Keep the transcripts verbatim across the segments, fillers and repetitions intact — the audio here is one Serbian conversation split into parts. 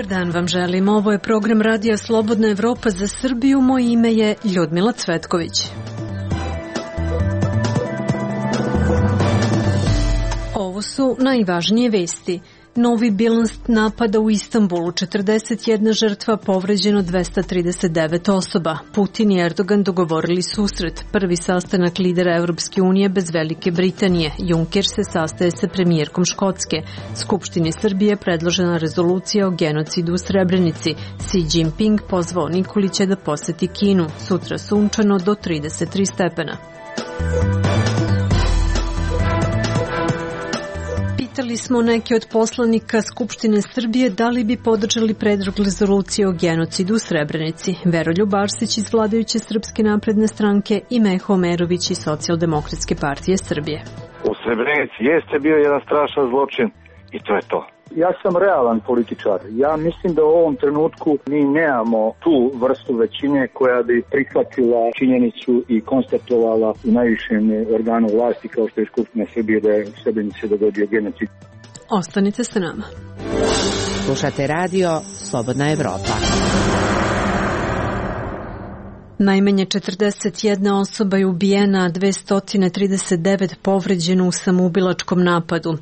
Dobar dan vam želim. Ovo je program Radija Slobodna Evropa za Srbiju. Moje ime je Ljudmila Cvetković. Ovo su najvažnije vesti. Novi bilans napada u Istanbulu, četrdeset jedna žrtva, povređeno dvesta trideset devet osoba. Putin i Erdogan dogovorili susret. Prvi sastanak lidera Evropske unije bez Velike Britanije. Juncker se sastaje sa premijerkom Škotske. Skupštini Srbije predložena rezolucija o genocidu u Srebrenici. Xi Jinping pozvao Nikolića da poseti Kinu. Sutra sunčano do trideset tri stepena. Pitali smo neke od poslanika Skupštine Srbije da li bi podržali predlog rezolucije o genocidu u Srebrenici. Veroljub Arsić iz vladajuće Srpske napredne stranke i Meho Omerović iz Socijaldemokratske partije Srbije. U Srebrenici jeste bio jedan strašan zločin i to je to. Ja sam realan političar. Ja mislim da u ovom trenutku mi nemamo tu vrstu većine koja bi prihvatila činjenicu i konstatovala u najvišem organu vlasti kao što je Skupština Srbije da je u Srebrenici dogodio genocid. Ostanite sa nama. Slušate radio Slobodna Evropa. Najmanje četrdeset jedna osoba je ubijena, a dvesta trideset devet povređeno u samoubilačkom napadu.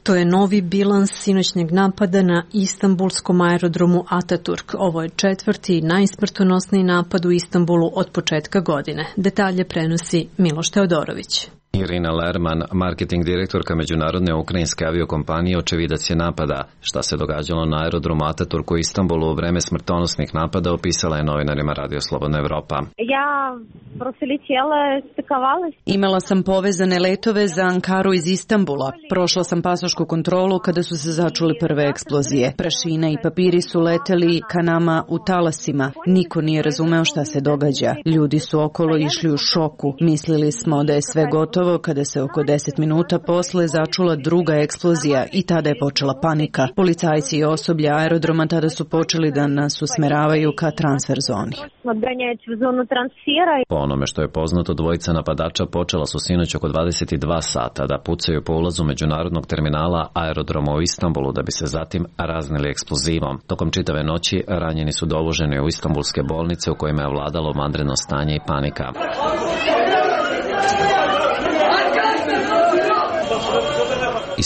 To je novi bilans sinoćnjeg napada na istanbulskom aerodromu Ataturk. Ovo je četvrti i najsmrtonosniji napad u Istanbulu od početka godine. Detalje prenosi Miloš Teodorović. Irina Lerman, marketing direktorka međunarodne ukrajinske aviokompanije, očevidac je napada. Šta se događalo na aerodromu Ataturk u Istanbulu u vreme smrtonosnih napada opisala je novinarima Radio Slobodna Evropa. Ja Imala sam povezane letove za Ankaru iz Istanbula. Prošla sam pasošku kontrolu kada su se začule prve eksplozije. Prašina i papiri su leteli ka nama u talasima. Niko nije razumeo šta se događa. Ljudi su okolo išli u šoku. Mislili smo da je sve gotovo kada se oko deset minuta posle začula druga eksplozija i tada je počela panika. Policajci i osoblje aerodroma tada su počeli da nas usmeravaju ka transfer zoni. Po onome što je poznato, dvojica napadača počela su sinoć oko dvadeset dva sata da pucaju po ulazu međunarodnog terminala aerodroma u Istanbulu da bi se zatim raznili eksplozivom. Tokom čitave noći ranjeni su dovoženi u istanbulske bolnice u kojima je vladalo vanredno stanje i panika.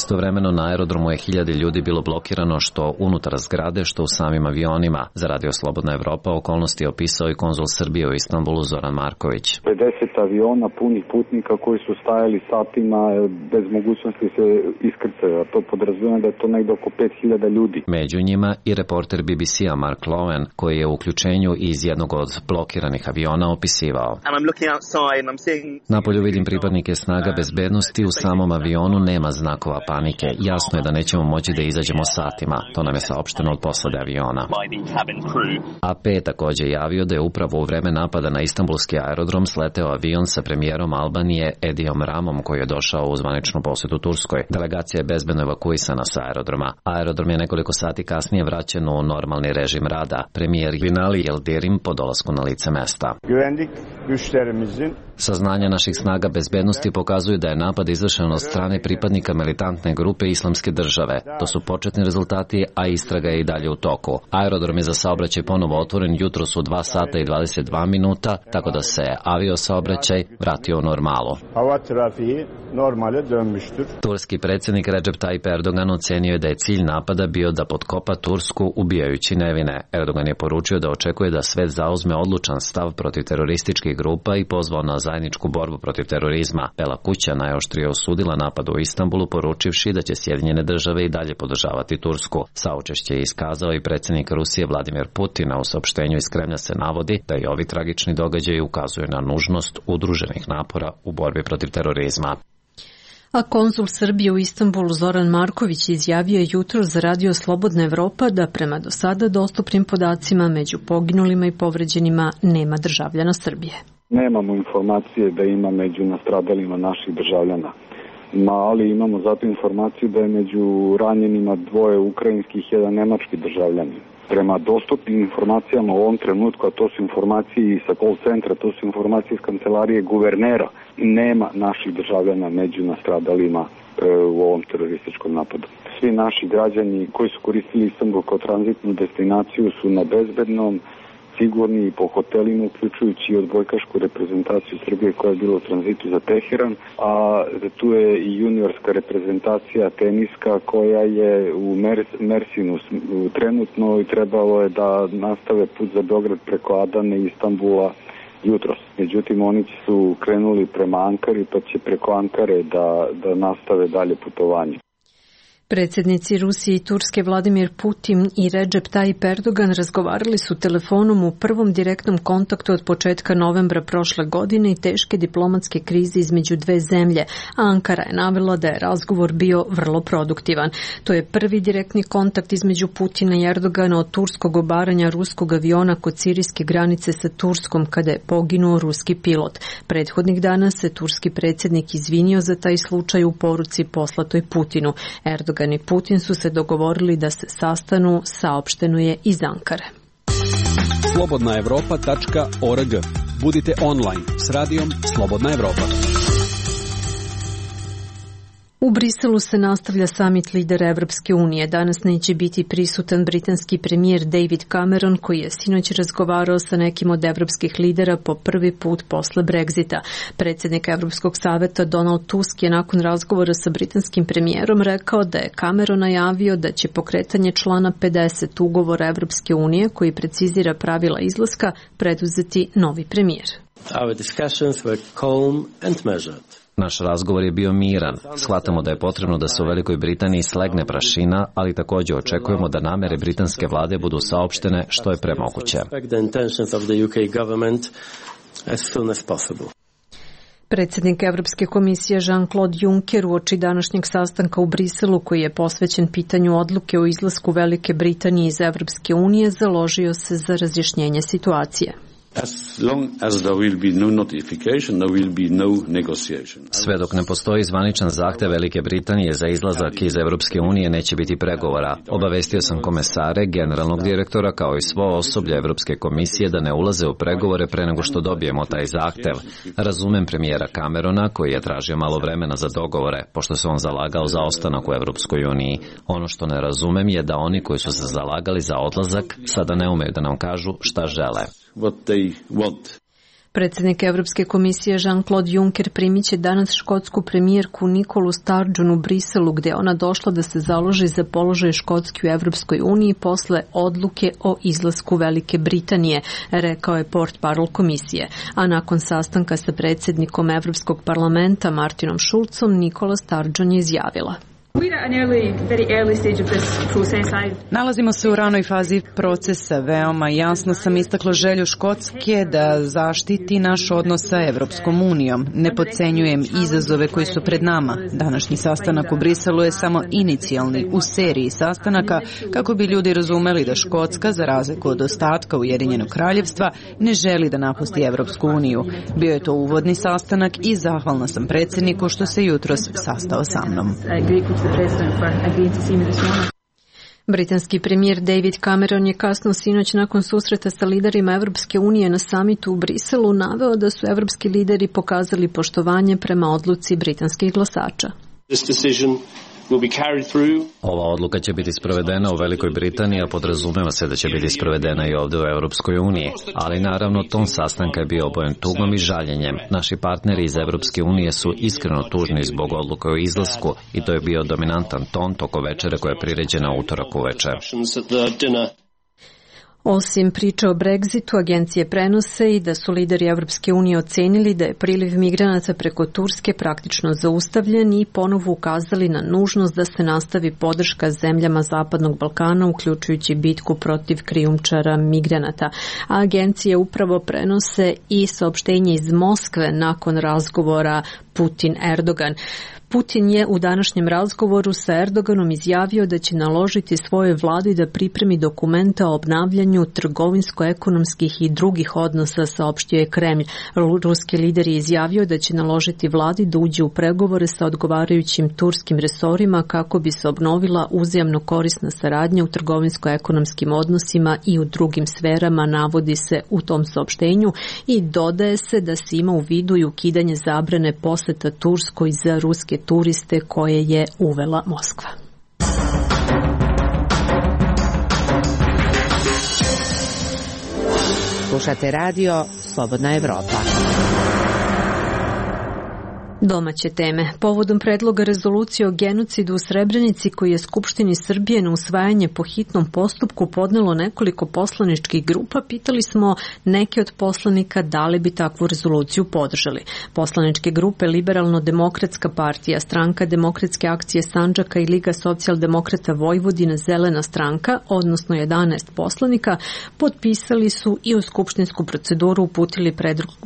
Istovremeno na aerodromu je hiljade ljudi bilo blokirano što unutar zgrade, što u samim avionima. Za Radio Slobodna Evropa okolnosti je opisao i konzul Srbije u Istanbulu Zoran Marković. pedeset aviona punih putnika koji su stajali satima bez mogućnosti se iskrcaju, a to podrazumijeva da je to negdje oko pet hiljada ljudi. Među njima i reporter B B C-a Mark Lowen, koji je u uključenju iz jednog od blokiranih aviona opisivao. Napolju vidim pripadnike snaga bezbednosti, u samom avionu nema znakova panike. Jasno je da nećemo moći da izađemo satima. To nam je saopšteno od posade aviona. A P je također javio da je upravo u vreme napada na istanbulski aerodrom sleteo avion sa premijerom Albanije Edijom Ramom koji je došao u zvaničnu posjetu Turskoj. Delegacija je bezbedno evakuisana sa aerodroma. Aerodrom je nekoliko sati kasnije vraćen u normalni režim rada. Premijer Binali Yildirim po dolasku na lice mesta. Saznanja naših snaga bezbednosti pokazuju da je napad izvršen od strane pripadnika militantne grupe Islamske države. To su početni rezultati, a istraga je i dalje u toku. Aerodrom je za saobraćaj ponovo otvoren jutros u dva sata i dvadeset dva minuta, tako da se avio saobraćaj vratio u normalu. Turski predsjednik Recep Tayyip Erdogan ocenio je da je cilj napada bio da potkopa Tursku ubijajući nevine. Erdogan je poručio da očekuje da svet zauzme odlučan stav protiv terorističkih grupa i pozvao na zajedničku borbu protiv terorizma. Bela kuća najoštrije osudila napad u Istanbulu, poručivši da će Sjedinjene države i dalje podržavati Tursku. Saučešće je iskazao i predsjednik Rusije Vladimir Putin, a u saopštenju iz Kremlja se navodi da i ovi tragični događaji ukazuju na nužnost udruženih napora u borbi protiv terorizma. A konzul Srbije u Istanbulu Zoran Marković izjavio je jutro za Radio Slobodna Evropa da prema do sada dostupnim podacima među poginulima i povređenima nema državljana Srbije. Nemamo informacije da ima među nastradalima naših državljana. Ma, ali imamo zato informaciju da je među ranjenima dvoje ukrajinskih i jedan nemački državljani. Prema dostupnim informacijama u ovom trenutku, a to su informacije sa call centra, to su informacije iz kancelarije guvernera, nema naših državljana među nastradalima e, u ovom terorističkom napadu. svi naši građani koji su koristili Istanbul kao tranzitnu destinaciju su na bezbednom, sigurni po hotelima, uključujući i odbojkašku reprezentaciju Srbije koja je bila u tranzitu za Teheran, a tu je i juniorska reprezentacija teniska koja je u Mersinu trenutno i trebalo je da nastave put za Beograd preko Adane i Istanbula jutros. Međutim, oni su krenuli prema Ankari, pa će preko Ankare da, da nastave dalje putovanje. Predsjednici Rusije i Turske Vladimir Putin i Recep Tayyip Erdogan razgovarali su telefonom u prvom direktnom kontaktu od početka novembra prošle godine i teške diplomatske krize između dve zemlje, a Ankara je navela da je razgovor bio vrlo produktivan. To je prvi direktni kontakt između Putina i Erdogana od turskog obaranja ruskog aviona kod sirijske granice sa Turskom kada je poginuo ruski pilot. Prethodnih dana se turski predsjednik izvinio za taj slučaj u poruci poslatoj Putinu. Erdogan i Putin su se dogovorili da se sastanu, saopšteno je iz Ankare. slobodna evropa tačka org. Budite online s radijom Slobodna Evropa. U Briselu se nastavlja samit lidera Evropske unije. Danas neće biti prisutan britanski premijer David Cameron, koji je sinoć razgovarao sa nekim od evropskih lidera po prvi put posle Brexita. Predsjednik Evropskog saveta Donald Tusk je nakon razgovora sa britanskim premijerom rekao da je Cameron najavio da će pokretanje člana pedeset ugovora Evropske unije, koji precizira pravila izlaska, preduzeti novi premijer. Our discussions were calm and measured. Naš razgovor je bio miran. Shvatamo da je potrebno da se u Velikoj Britaniji slegne prašina, ali također očekujemo da namere britanske vlade budu saopštene što je premoguće. Predsjednik Evropske komisije Jean-Claude Juncker uoči današnjeg sastanka u Briselu, koji je posvećen pitanju odluke o izlasku Velike Britanije iz Evropske unije, založio se za razjašnjenje situacije. Sve dok ne postoji zvaničan zahtev Velike Britanije za izlazak iz Evropske unije, neće biti pregovora. Obavestio sam komesare, generalnog direktora kao i svo osoblje Evropske komisije da ne ulaze u pregovore pre nego što dobijemo taj zahtev. Razumem premijera Camerona, koji je tražio malo vremena za dogovore, pošto se on zalagao za ostanak u Evropskoj uniji. Ono što ne razumem je da oni koji su se zalagali za odlazak sada ne umeju da nam kažu šta žele. What they want. Predsjednik Evropske komisije Jean-Claude Juncker primit će danas škotsku premijerku Nikolu Sturgeon u Briselu, gdje ona došla da se založi za položaj Škotske u Evropskoj uniji posle odluke o izlasku Velike Britanije, rekao je portparol komisije. A nakon sastanka sa predsjednikom Evropskog parlamenta Martinom Schulzom, Nikola Sturgeon je izjavila: Nalazimo se u ranoj fazi procesa. Veoma jasno sam istakla želju Škotske da zaštiti naš odnos sa Evropskom unijom. Ne podcenjujem izazove koji su pred nama. Današnji sastanak u Briselu je samo inicijalni u seriji sastanaka kako bi ljudi razumeli da Škotska, za razliku od ostatka Ujedinjenog kraljevstva, ne želi da napusti Evropsku uniju. Bio je to uvodni sastanak i zahvalna sam predsjedniku što se jutros sastao sa mnom. Britanski premijer David Cameron je kasno sinoć nakon susreta sa liderima Evropske unije na samitu u Briselu naveo da su evropski lideri pokazali poštovanje prema odluci britanskih glasača. Ova odluka će biti sprovedena u Velikoj Britaniji, a podrazumeva se da će biti sprovedena i ovdje u Europskoj uniji. Ali naravno, ton sastanka je bio obojen tugom i žaljenjem. Naši partneri iz Europske unije su iskreno tužni zbog odluke o izlasku i to je bio dominantan ton toko večere koja je priređena utorak uveče. Osim priče o Brexitu, agencije prenose i da su lideri Evropske unije ocenili da je priliv migranata preko Turske praktično zaustavljen i ponovo ukazali na nužnost da se nastavi podrška zemljama Zapadnog Balkana, uključujući bitku protiv krijumčara migranata. A agencije upravo prenose i saopštenje iz Moskve nakon razgovora Putin-Erdogan. Putin je u današnjem razgovoru sa Erdoganom izjavio da će naložiti svojoj vladi da pripremi dokumenta o obnavljanju trgovinsko-ekonomskih i drugih odnosa, saopštio je Kremlj. Ruski lider je izjavio da će naložiti vladi da uđe u pregovore sa odgovarajućim turskim resorima kako bi se obnovila uzajamno korisna saradnja u trgovinsko-ekonomskim odnosima i u drugim sferama, navodi se u tom saopštenju, i dodaje se da se ima u vidu i ukidanje zabrane poseta Turskoj za ruske turiste koje je uvela Moskva. Slušate radio Slobodna Evropa. Domaće teme. Povodom predloga rezolucije o genocidu u Srebrenici koji je Skupštini Srbije na usvajanje po hitnom postupku podnelo nekoliko poslaničkih grupa, pitali smo neke od poslanika da li bi takvu rezoluciju podržali. Poslaničke grupe Liberalno-demokratska partija, Stranka demokratske akcije Sandžaka i Liga socijaldemokrata Vojvodine Zelena stranka, odnosno jedanaest poslanika, potpisali su i u skupštinsku proceduru uputili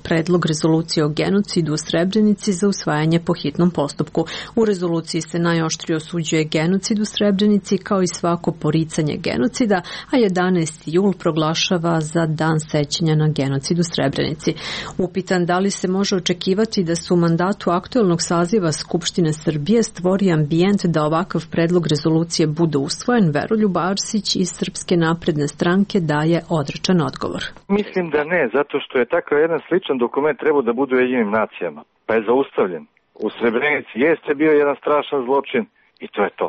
predlog rezolucije o genocidu u Srebrenici za usvajanje po hitnom postupku. U rezoluciji se najoštrije osuđuje genocid u Srebrenici kao i svako poricanje genocida, a jedanaesti jul proglašava za dan sećanja na genocid u Srebrenici. Upitan da li se može očekivati da se u mandatu aktuelnog saziva Skupštine Srbije stvori ambijent da ovakav predlog rezolucije bude usvojen, Veroljub Arsić iz Srpske napredne stranke daje odrečan odgovor. Mislim da ne, zato što je takav jedan sličan dokument trebao da bude u Ujedinjenim nacijama, pa je zaustavljen. U Srebrenici jeste bio jedan strašan zločin i to je to.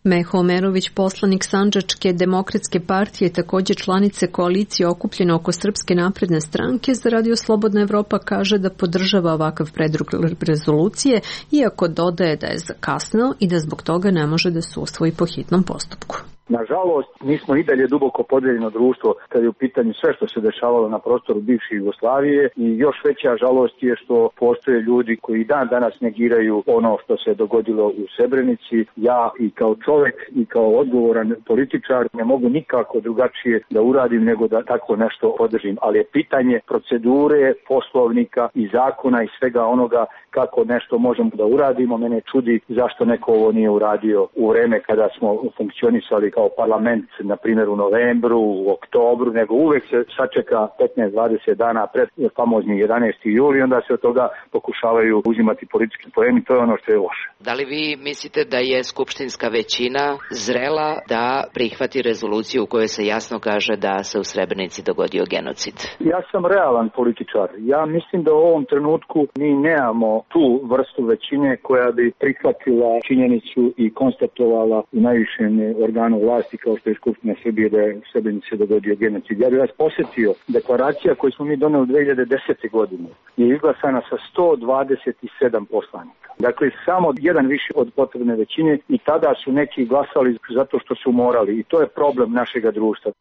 Meho Omerović, poslanik Sandžačke demokratske partije, također članice koalicije okupljene oko Srpske napredne stranke, za Radio Slobodna Evropa kaže da podržava ovakav predlog rezolucije, iako dodaje da je zakasneo i da zbog toga ne može da se usvoji po hitnom postupku. Nažalost, mi smo i dalje duboko podeljeno društvo kad je u pitanju sve što se dešavalo na prostoru bivše Jugoslavije i još veća žalost je što postoje ljudi koji dan danas negiraju ono što se dogodilo u Srebrenici. Ja i kao čovjek i kao odgovoran političar ne mogu nikako drugačije da uradim nego da tako nešto podržim, ali je pitanje procedure, poslovnika i zakona i svega onoga kako nešto možemo da uradimo. Mene čudi zašto neko ovo nije uradio u vreme kada smo funkcionisali kao parlament, na primjer u novembru, u oktobru, nego uvek se sačeka petnaest do dvadeset dana pred famozni jedanaesti jul i onda se od toga pokušavaju uzimati politički poeni, to je ono što je loše. Da li vi mislite da je skupštinska većina zrela da prihvati rezoluciju u kojoj se jasno kaže da se u Srebrenici dogodio genocid? Ja sam realan političar. Ja mislim da u ovom trenutku mi nemamo tu vrstu većine koja bi prihvatila činjenicu i konstatovala u najvišem organu vlasti kao što je Skupština Srbije da je u Srebrenici dogodio genocid. Ja bih vas posjetio, deklaracija koju smo mi doneli dve hiljade desete. godine je izglasana sa sto dvadeset sedam poslanika. Dakle, samo jedan više od potrebne većine i tada su neki glasali zato što su morali i to je problem našega društva.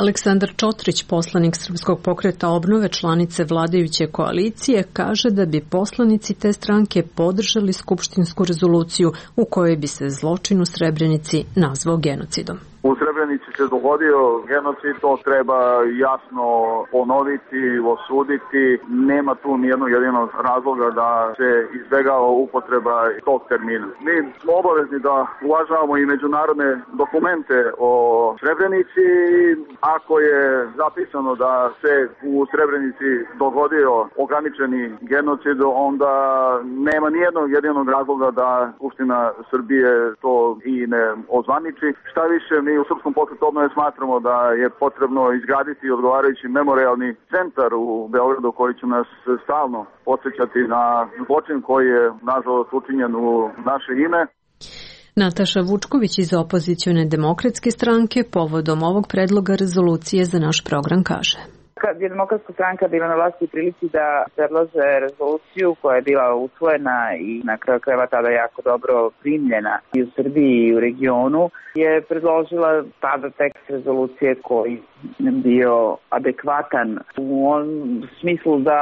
Aleksandar Čotrić, poslanik Srpskog pokreta obnove, članice vladajuće koalicije, kaže da bi poslanici te stranke podržali skupštinsku rezoluciju u kojoj bi se zločin u Srebrenici nazvao genocidom. U Srebrenici se dogodio genocid, to treba jasno ponoviti, osuditi. Nema tu nijednog jedinog razloga da se izbegava upotreba tog termina. Mi smo obavezni da uvažavamo i međunarodne dokumente o Srebrenici. Ako je zapisano da se u Srebrenici dogodio ograničeni genocid, onda nema nijednog jedinog razloga da Skupština Srbije to i ne ozvaniči. Šta više, mi u Srpskom pokretu obnove smatramo da je potrebno izgraditi odgovarajući memorijalni centar u Beogradu koji će nas stalno podsjećati na zločin koji je nažalost učinjen u naše ime. Nataša Vučković iz opozicione demokratske stranke povodom ovog predloga rezolucije za naš program kaže: Kad je Demokratska stranka bila na vlasti u prilici da predlože rezoluciju koja je bila usvojena i na kraju krajeva tada jako dobro primljena i u Srbiji i u regionu, je predložila tada tekst rezolucije koji je bio adekvatan u onom smislu da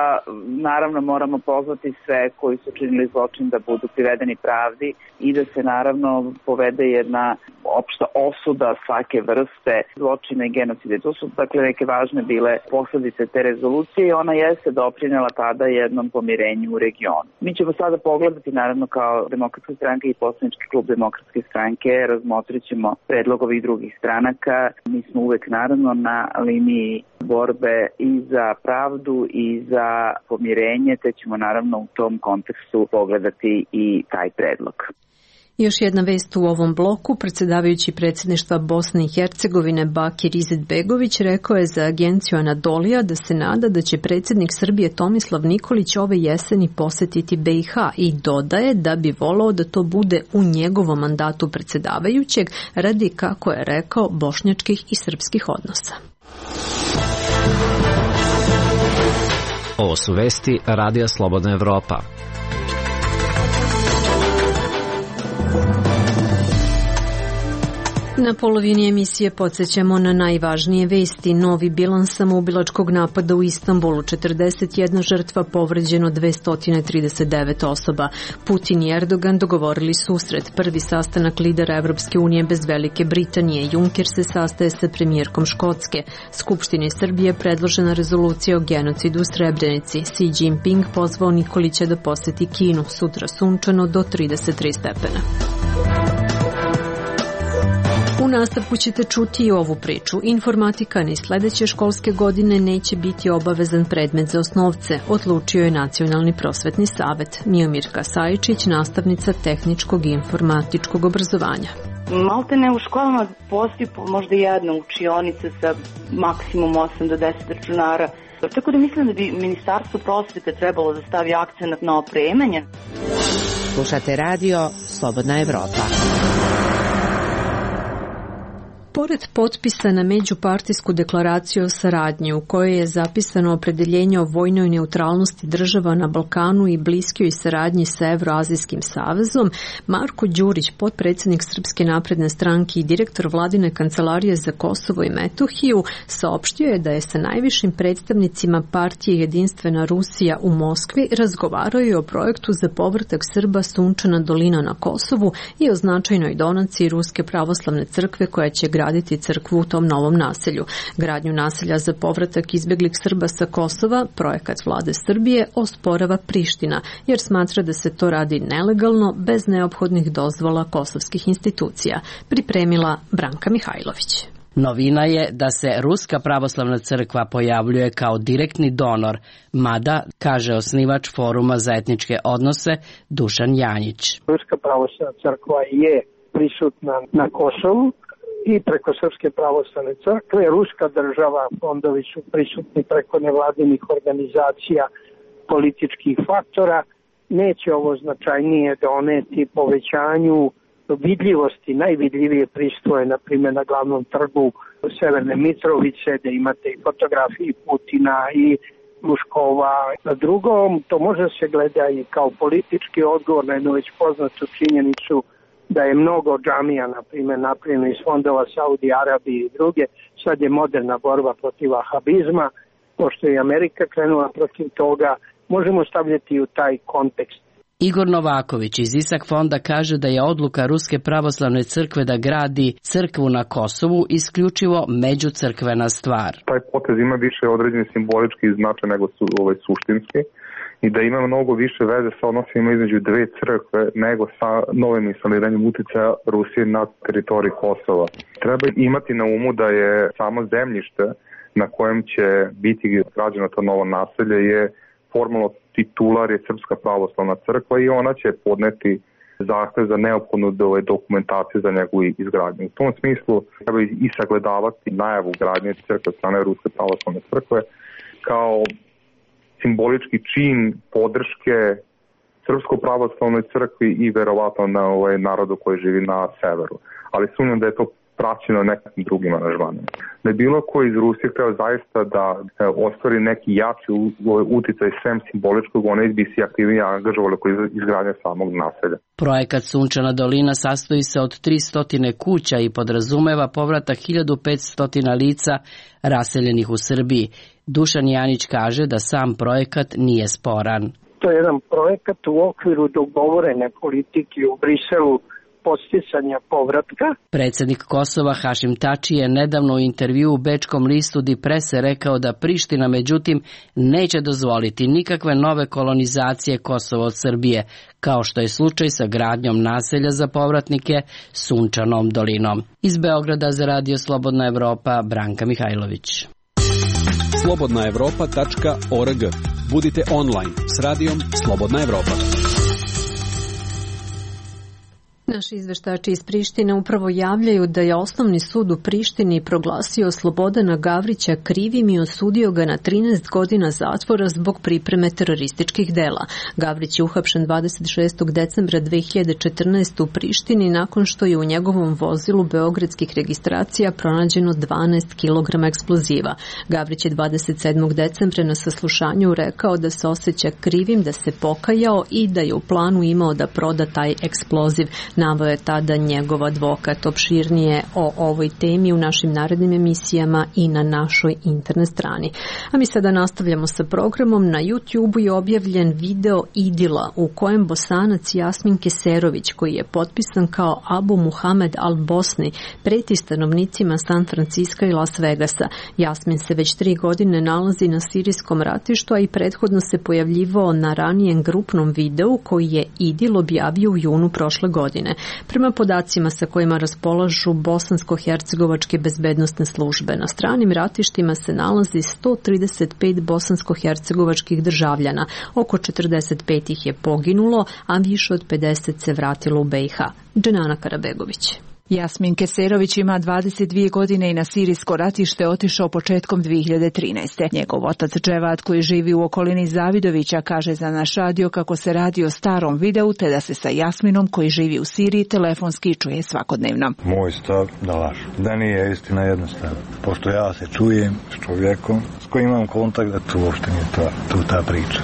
naravno moramo pozvati sve koji su činili zločin da budu privedeni pravdi i da se naravno povede jedna opšta osuda svake vrste zločina i genocide. To su dakle neke važne bile posledice te rezolucije i ona jeste doprinela tada jednom pomirenju u regionu. Mi ćemo sada pogledati naravno kao Demokratska stranka i poslanički klub Demokratske stranke, razmotrit ćemo predlog ovih drugih stranaka. Mi smo uvek naravno na liniji borbe i za pravdu i za pomirenje, te ćemo naravno u tom kontekstu pogledati i taj predlog. Još jedna vest u ovom bloku. Predsjedavajući predsjedništva Bosne i Hercegovine Bakir Izetbegović rekao je za agenciju Anadolija da se nada da će predsjednik Srbije Tomislav Nikolić ove jeseni posetiti B i H i dodaje da bi volao da to bude u njegovom mandatu predsjedavajućeg radi, kako je rekao, bošnjačkih i srpskih odnosa. Ovo su vesti Radija Slobodna Evropa. Na polovini emisije podsjećamo na najvažnije vesti. Novi bilans samoubilačkog napada u Istanbulu, četrdeset jedna žrtva, povređeno dvesta trideset devet osoba. Putin i Erdogan dogovorili susret. Prvi sastanak lidera Evropske unije bez Velike Britanije. Juncker se sastaje sa premijerkom Škotske. Skupštini Srbije predložena rezolucija o genocidu u Srebrenici. Xi Jinping pozvao Nikolića da poseti Kinu. Sutra sunčano do trideset tri stepena. U nastavku ćete čuti i ovu priču. Informatika ni sledeće školske godine neće biti obavezan predmet za osnovce, odlučio je Nacionalni prosvetni savet. Miomirka Sajičić, nastavnica tehničkog i informatičkog obrazovanja. Malte ne u školama postoji možda jedna učionica sa maksimum osam do deset računara. Tako da mislim da bi Ministarstvo prosvete trebalo da stavi akcenat na opremanje. Slušate radio Slobodna Evropa. Pored potpisa na međupartijsku deklaraciju o saradnji u kojoj je zapisano opredeljenje o vojnoj neutralnosti država na Balkanu i bliskoj saradnji sa Evroazijskim savezom, Marko Đurić, potpredsjednik Srpske napredne stranke i direktor vladine kancelarije za Kosovo i Metohiju, saopštio je da je sa najvišim predstavnicima partije Jedinstvena Rusija u Moskvi razgovarao i o projektu za povratak Srba Sunčana dolina na Kosovu i o značajnoj donaciji Ruske pravoslavne crkve koja će graditi crkvu u tom novom naselju. Gradnju naselja za povratak izbeglih Srba sa Kosova, projekat vlade Srbije, osporava Priština, jer smatra da se to radi nelegalno, bez neophodnih dozvola kosovskih institucija. Pripremila Branka Mihajlović. Novina je da se Ruska pravoslavna crkva pojavljuje kao direktni donor, mada, kaže osnivač Foruma za etničke odnose Dušan Janjić. Ruska pravoslavna crkva je prisutna na Kosovu i preko Srpske pravoslavne crkve. Ruska država, fondovi su prisutni preko nevladinih organizacija, političkih faktora. Neće ovo značajnije doneti povećanju vidljivosti. Najvidljivije pristoje, na primjer, na glavnom trgu Severne Mitrovice, da imate i fotografiji Putina i Luškova. Na drugom, to može se gleda i kao politički odgovor na jednu već poznatu činjenicu da je mnogo džamija, na primjer, napravljeno iz fondova Saudi Arabije i druge. Sad je moderna borba protiv vahabizma, pošto je Amerika krenula protiv toga, možemo stavljati u taj kontekst. Igor Novaković iz Isak fonda kaže da je odluka Ruske pravoslavne crkve da gradi crkvu na Kosovu isključivo međucrkvena stvar. Taj potez ima više određeni simbolički značaj nego su ovaj suštinski i da ima mnogo više veze sa odnosima između dve crkve nego sa novim instaliranjem uticaja Rusije na teritoriji Kosova. Treba imati na umu da je samo zemljište na kojem će biti građeno to novo naselje je formalno titular je Srpska pravoslavna crkva i ona će podneti zahtev za neophodnu dokumentaciju za njegovu izgradnju. U tom smislu treba i sagledavati najavu gradnje crkve od strane Ruske pravoslavne crkve kao simbolički čin podrške Srpskoj pravoslavnoj crkvi i verovatno na ovaj narodu koji živi na severu. Ali sumnjam da je to praćeno nekim drugim aranžmanima. Da je bilo ko iz Rusije hteo zaista da ostvari neki jači uticaj sem simboličkog, one bi se aktivnije angažovali koji izgradnje samog naselja. Projekat Sunčana dolina sastoji se od tristo kuća i podrazumeva povratak hiljadu petsto lica raseljenih u Srbiji. Dušan Janić kaže da sam projekat nije sporan. To je jedan projekat u okviru dogovorene politike u Briselu podsticanja povratka. Predsjednik Kosova Hašim Tači je nedavno u intervju u bečkom listu Die Presse rekao da Priština međutim neće dozvoliti nikakve nove kolonizacije Kosova od Srbije, kao što je slučaj sa gradnjom naselja za povratnike Sunčanom dolinom. Iz Beograda za Radio Slobodna Evropa, Branka Mihajlović. slobodna evropa tačka org. Budite online s radijom Slobodna Evropa. Naši izveštači iz Prištine upravo javljaju da je Osnovni sud u Prištini proglasio Slobodana Gavrića krivim i osudio ga na trinaest godina zatvora zbog pripreme terorističkih dela. Gavrić je uhapšen dvadeset šestog decembra dve hiljade četrnaeste. u Prištini nakon što je u njegovom vozilu beogradskih registracija pronađeno dvanaest kilograma eksploziva. Gavrić je dvadeset sedmog decembra na saslušanju rekao da se osjeća krivim, da se pokajao i da je u planu imao da proda taj eksploziv. Naveo je tada njegov advokat. Opširnije o ovoj temi u našim narednim emisijama i na našoj internet strani. A mi sada nastavljamo sa programom. Na YouTubeu je objavljen video idila u kojem Bosanac Jasmin Keserović, koji je potpisan kao Abu Muhamed al-Bosni, preti stanovnicima San Franciska i Las Vegasa. Jasmin se već tri godine nalazi na sirijskom ratištu, a i prethodno se pojavljivao na ranijem grupnom videu koji je idil objavio u junu prošle godine. Prema podacima sa kojima raspolažu bosansko-hercegovačke bezbednosne službe, na stranim ratištima se nalazi sto trideset pet bosansko-hercegovačkih državljana, oko četrdeset pet ih je poginulo, a više od pedeset se vratilo u be i ha. Dženana Karabegović. Jasmin Keserović ima dvadeset dvije godine i na sirijsko ratište otišao početkom dve hiljade trinaeste. Njegov otac Dževad, koji živi u okolini Zavidovića, kaže za naš radio kako se radi o starom videu, te da se sa Jasminom, koji živi u Siriji, telefonski čuje svakodnevno. Moj stav da lažu. Da nije istina jednostavno. Pošto ja se čujem s čovjekom s kojim imam kontakt, da tu uopšte nije ta, tu ta priča.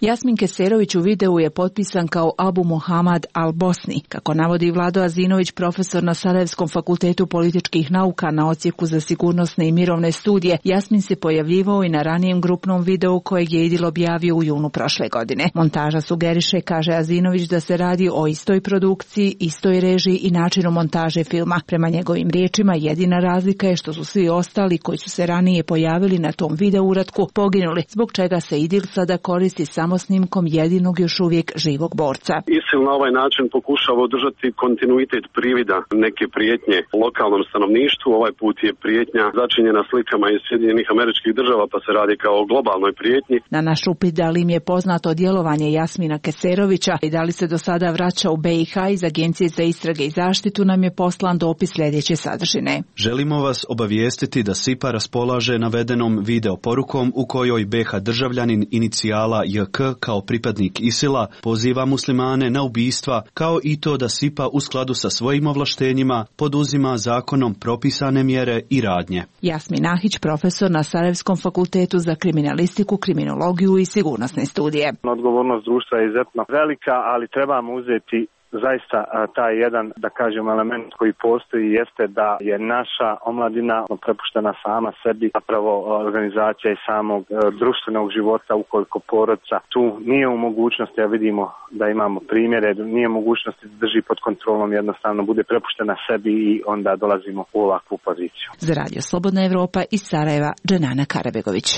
Jasmin Keserović u videu je potpisan kao Abu Muhammad al-Bosni. Kako navodi Vlado Azinović, profesor na Sarajevskom fakultetu političkih nauka na odsjeku za sigurnosne i mirovne studije, Jasmin se pojavljivao i na ranijem grupnom videu kojeg je idil objavio u junu prošle godine. Montaža sugeriše, kaže Azinović, da se radi o istoj produkciji, istoj režiji i načinu montaže filma. Prema njegovim riječima, jedina razlika je što su svi ostali koji su se ranije pojavili na tom video uratku poginuli, zbog čega se idil sada koristi samo snimkom jedinog još uvijek živog borca. ISIL na ovaj način pokušava održati kontinuitet privida neke prijetnje lokalnom stanovništvu. Ovaj put je prijetnja začinjena slikama iz Sjedinjenih Američkih Država, pa se radi kao o globalnoj prijetnji. Na naš upit da li im je poznato djelovanje Jasmina Keserovića i da li se do sada vraća u be i ha iz Agencije za istrage i zaštitu, nam je poslan dopis sljedeće sadržine. Želimo vas obavijestiti da SIPA raspolaže navedenom video porukom u kojoj be ha državljanin inicijala je ke kao pripadnik ISIL-a poziva muslimane na ubistva, kao i to da SIPA u skladu sa svojim ovlaštenjima poduzima zakonom propisane mjere i radnje. Jasmin Ahić, profesor na Sarajevskom fakultetu za kriminalistiku, kriminologiju i sigurnosne studije. Odgovornost društva je izuzetno velika, ali trebamo uzeti zaista taj jedan, da kažem, element koji postoji jeste da je naša omladina prepuštena sama sebi, zapravo organizacija i samog društvenog života, ukoliko porodica tu nije u mogućnosti, a vidimo da imamo primjere, nije u mogućnosti da drži pod kontrolom, jednostavno bude prepuštena sebi i onda dolazimo u ovakvu poziciju. Za Radio Slobodna Evropa iz Sarajeva, Dženana Karabegović.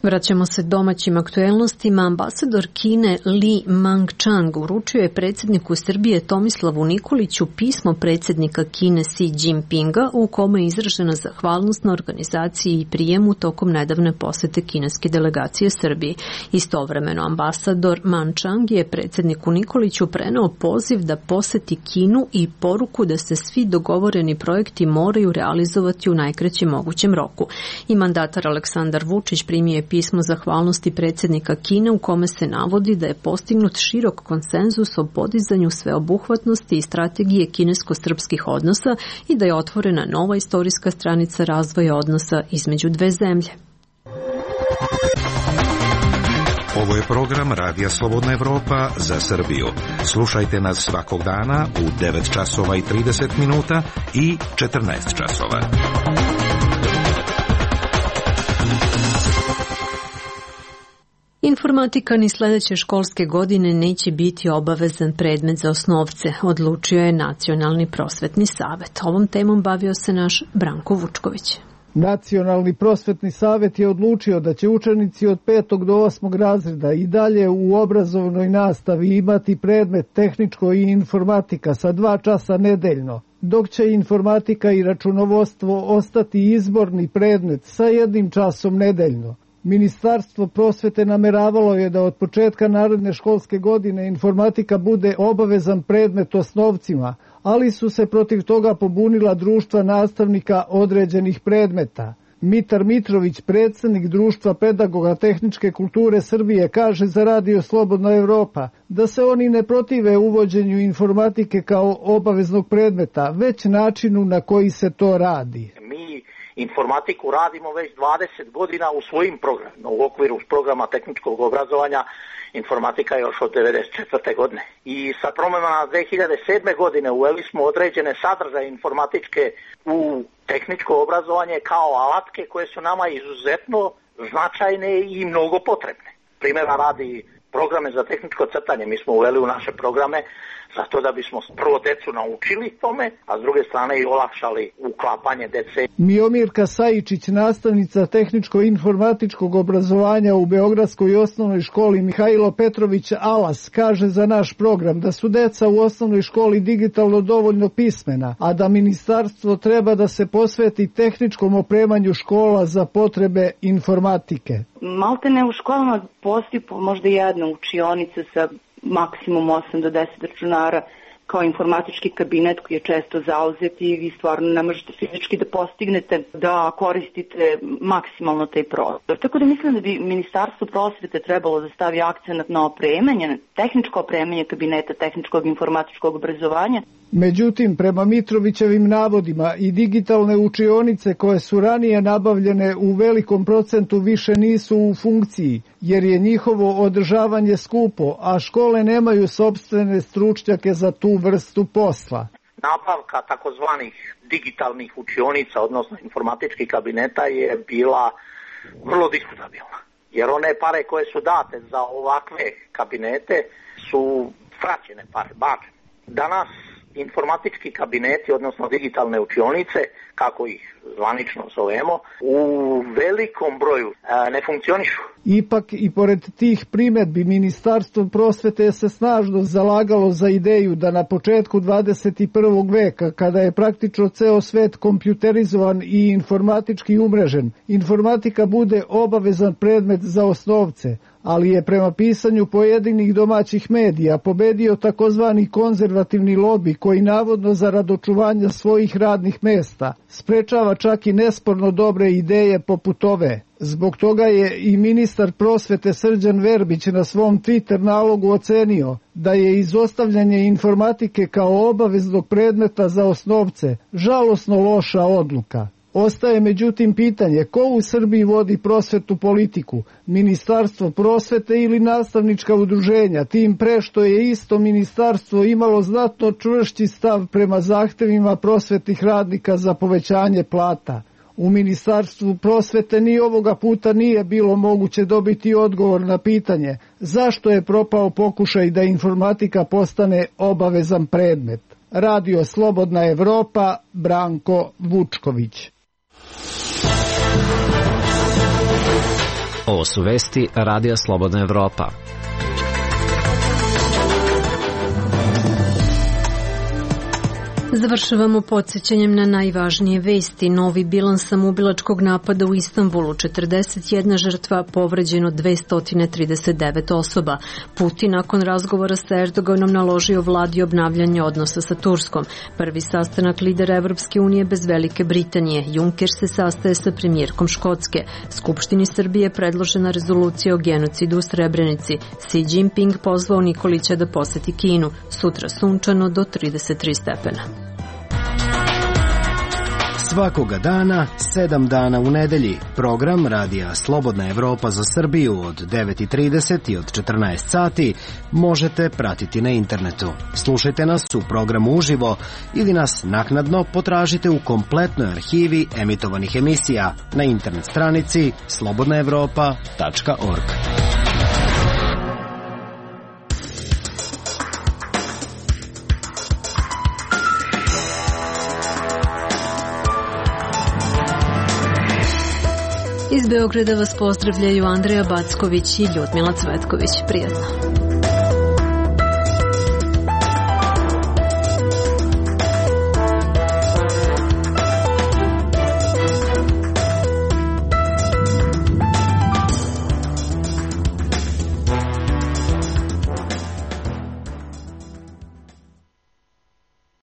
Vraćamo se domaćim aktuelnostima. Ambasador Kine Li Mangchang uručio je predsjedniku Srbije Tomislavu Nikoliću pismo predsjednika Kine Xi Jinpinga u kome je izražena zahvalnost na organizaciji i prijemu tokom nedavne posete kineske delegacije Srbiji. Istovremeno ambasador Mangchang je predsjedniku Nikoliću preneo poziv da poseti Kinu i poruku da se svi dogovoreni projekti moraju realizovati u najkraćem mogućem roku. I mandatar Aleksandar Vučić primio je pismo zahvalnosti predsjednika Kine u kome se navodi da je postignut širok konsenzus o podizanju sveobuhvatnosti i strategije kinesko-srpskih odnosa i da je otvorena nova istorijska stranica razvoja odnosa između dve zemlje. Ovo je program Radija Slobodna Evropa za Srbiju. Slušajte nas svakog dana u devet časova i trideset minuta i četrnaest časova. Informatika ni sljedeće školske godine neće biti obavezan predmet za osnovce, odlučio je Nacionalni prosvetni savjet. Ovom temom bavio se naš Branko Vučković. Nacionalni prosvetni savjet je odlučio da će učenici od petog do osmog razreda i dalje u obrazovnoj nastavi imati predmet tehničko i informatika sa dva časa nedeljno, dok će informatika i računovodstvo ostati izborni predmet sa jednim časom nedeljno. Ministarstvo prosvete nameravalo je da od početka naredne školske godine informatika bude obavezan predmet osnovcima, ali su se protiv toga pobunila društva nastavnika određenih predmeta. Mitar Mitrović, predsjednik Društva pedagoga tehničke kulture Srbije, kaže za Radio Slobodna Evropa da se oni ne protive uvođenju informatike kao obaveznog predmeta, već načinu na koji se to radi. Mi informatiku radimo već dvadeset godina u svojim programima, u okviru programa tehničkog obrazovanja. Informatika je još od devedeset četvrte godine. I sa promenama dve hiljade sedme godine uveli smo određene sadržaje informatičke u tehničko obrazovanje kao alatke koje su nama izuzetno značajne i mnogo potrebne. Primjera radi programe za tehničko crtanje mi smo uveli u naše programe zato da bismo prvo decu naučili tome, a s druge strane i olakšali uklapanje dece. Miomirka Sajičić, nastavnica tehničko-informatičkog obrazovanja u Beogradskoj osnovnoj školi Mihajlo Petrović Alas, kaže za naš program da su deca u osnovnoj školi digitalno dovoljno pismena, a da ministarstvo treba da se posveti tehničkom opremanju škola za potrebe informatike. Maltene u školama postoji možda jedna učionica sa maksimum osam do deset računara kao informatički kabinet koji je često zauzet i vi stvarno ne možete fizički da postignete da koristite maksimalno taj prostor. Tako da mislim da bi Ministarstvo prosvete trebalo da stavi akcenat na opremanje, na tehničko opremanje kabineta tehničkog informatičkog obrazovanja. Međutim, prema Mitrovićevim navodima i digitalne učionice koje su ranije nabavljene u velikom procentu više nisu u funkciji, jer je njihovo održavanje skupo, a škole nemaju sopstvene stručnjake za tu vrstu posla. Nabavka takozvanih digitalnih učionica, odnosno informatičkih kabineta, je bila vrlo diskutabilna. Jer one pare koje su date za ovakve kabinete su fraćene pare, bačene. Danas informatički kabineti, odnosno digitalne učionice, kako ih zvanično zovemo, u velikom broju e, ne funkcionišu. Ipak i pored tih primedbi Ministarstvo prosvete se snažno zalagalo za ideju da na početku dvadeset prvog veka, kada je praktično ceo svet kompjuterizovan i informatički umrežen, informatika bude obavezan predmet za osnovce, ali je prema pisanju pojedinih domaćih medija pobedio takozvani konzervativni lobi koji navodno zarad očuvanja svojih radnih mesta sprečava čak i nesporno dobre ideje poput ove. Zbog toga je i ministar prosvete Srđan Verbić na svom Twitter nalogu ocenio da je izostavljanje informatike kao obaveznog predmeta za osnovce žalosno loša odluka. Ostaje međutim pitanje ko u Srbiji vodi prosvetnu politiku, Ministarstvo prosvete ili nastavnička udruženja, tim pre što je isto ministarstvo imalo znatno čvršći stav prema zahtevima prosvetnih radnika za povećanje plata. U Ministarstvu prosvete ni ovoga puta nije bilo moguće dobiti odgovor na pitanje zašto je propao pokušaj da informatika postane obavezan predmet. Radio Slobodna Evropa, Branko Vučković. Ovo su vesti Radija Slobodna Evropa. Završavamo podsjećanjem na najvažnije vesti. Novi bilans samoubilačkog napada u Istanbulu, četrdeset jedna žrtva, povređeno dvesta trideset devet osoba. Putin nakon razgovora sa Erdoganom naložio vladi obnavljanje odnosa sa Turskom. Prvi sastanak lidera Evropske unije bez Velike Britanije. Juncker se sastaje sa premijerkom Škotske. Skupštini Srbije predložena rezolucija o genocidu u Srebrenici. Xi Jinping pozvao Nikolića da poseti Kinu. Sutra sunčano do trideset tri stepena. Svakoga dana, sedam dana u nedelji, program Radija Slobodna Evropa za Srbiju od devet i trideset i od četrnaest sati možete pratiti na internetu. Slušajte nas u programu uživo ili nas naknadno potražite u kompletnoj arhivi emitovanih emisija na internet stranici slobodna evropa tačka org. Iz Beograda vas pozdravljaju Andreja Backović i Ljudmila Cvetković. Prijatno.